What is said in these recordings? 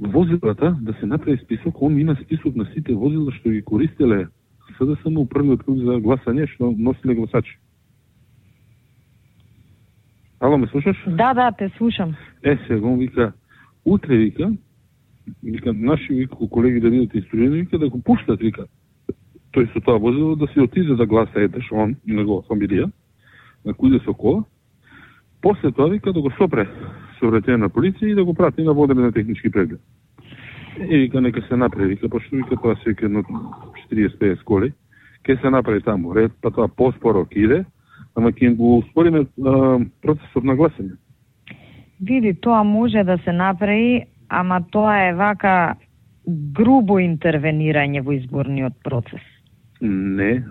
возилата да се направи список, он има список на сите возила што ги користеле СДСМ у првиот круг за гласање, што носиле гласачи. Ало, ме слушаш? Да, те слушам. Сега он вика, утре вика, наши колеги да видат историја, вика да го пуштат, вика, тој со тоа возило да се отиде да гласа едеш, он и негова фамилија, на кој со кола, после тоа вика да го сопре сообраќајна на полиција и да го прати на водене на технички преглед. И вика нека се направи, вика, пошто вика тоа се вика едно 40-50 коли, ке се направи таму ред, па тоа поспоро иде, ама ќе го успориме процесот на гласање. Види, тоа може да се направи, ама тоа е вака грубо интервенирање во изборниот процес. Не.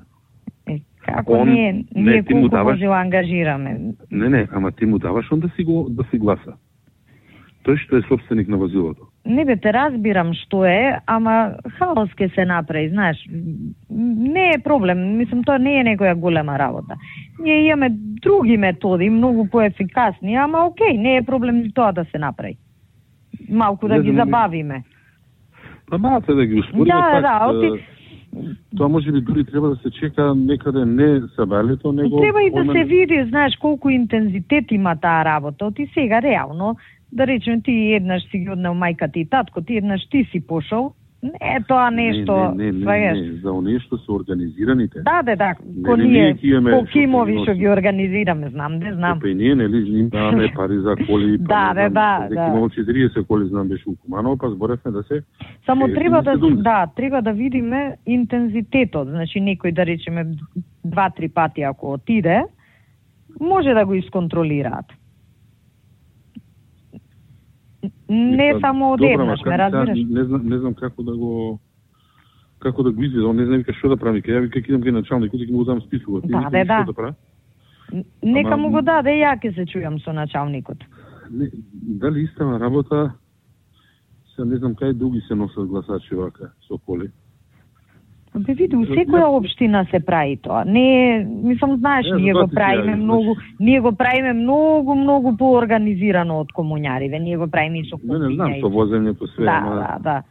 Како ние колку може да ангажираме? Не, ама ти му даваш он да си гласа. Тој што е собственик на возилото. Не бе, те разбирам што е, ама хаос ке се направи, знаеш. Не е проблем, мислам, тоа не е некоја голема работа. Ние имаме други методи, многу поефикасни, ама окей, не е проблем и тоа да се направи. Малку да ги забавиме. Па малце да ги успориме, тоа може би дури треба да се чека некаде не сабалето, него... Треба и да се види, знаеш, колку интензитет има таа работа. Оти сега, реално, да речем, ти еднаш си ги однел мајката и татко, ти еднаш ти си пошол, не е тоа нешто... Не, за оние што се организираните. Да, ко ние, по кимови што ги организираме, знам. Па и ние, нели, даваме пари за коли, да. Имало 40 коли, знам, беше у Куманово, па зборевме да се... Само треба да видиме интензитетот, значи некој, да речеме, 2-3 пати ако отиде, може да го исконтролираат. Не само одеднаш, ме разбираш? Не знам како да го изведе, он не знам вика што да прави, ја вика идам кај началникот и ќе му дам списокот. Да. Нека му го даде, ја ќе се чујам со началникот. Дали истава работа, се не знам кај други се носат гласачи вака со коли. Бе види, у секоја општина се прави тоа. Не, мислам, знаеш, ние го правиме многу поорганизирано од комуњариве. Ние го правиме и со купиња. Не знам со возењето све, Да.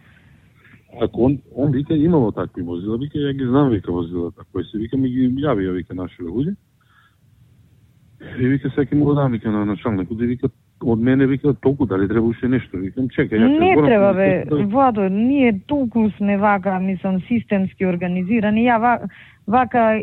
Ако он вика имало такви возила, вика ја ги знам вика возилата, кои се вика ми ги јави вика наши луѓе. И вика секи му го дам вика на началникот и вика од мене вика толку дали треба уште нешто, викам чекај ја. Не треба бе, Владо, ние толку сме вака, мислам, системски организирани. Ја вака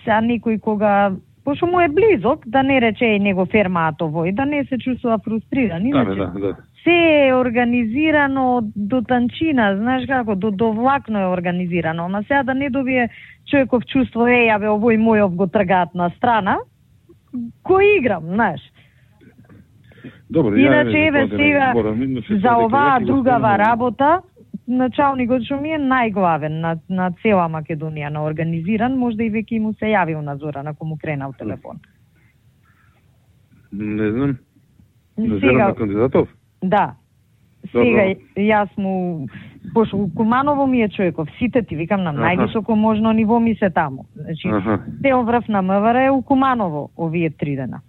са некој кога пошто му е близок, да не рече и него фермаат овој, да не се чувствува фрустриран. Иначе, да. Се е организирано до танчина, знаеш како, до влакно е организирано, ама сега да не добие човеков чувство, јаве овој мојов го тргаат на страна, кој играм, знаеш. Добре, иначе еве сега за оваа другава работа, началникот што ми е најглавен на цела Македонија на организиран, можда и веќе му се јавил на Зоран ако му кренал телефон. Не знам. Сега кандидатов? Да. Сега јас му пошто Куманово ми е човеков, сите ти викам на највисоко можно ниво ми се таму. Значи, цел врв на МВР е у Куманово овие 3 дена.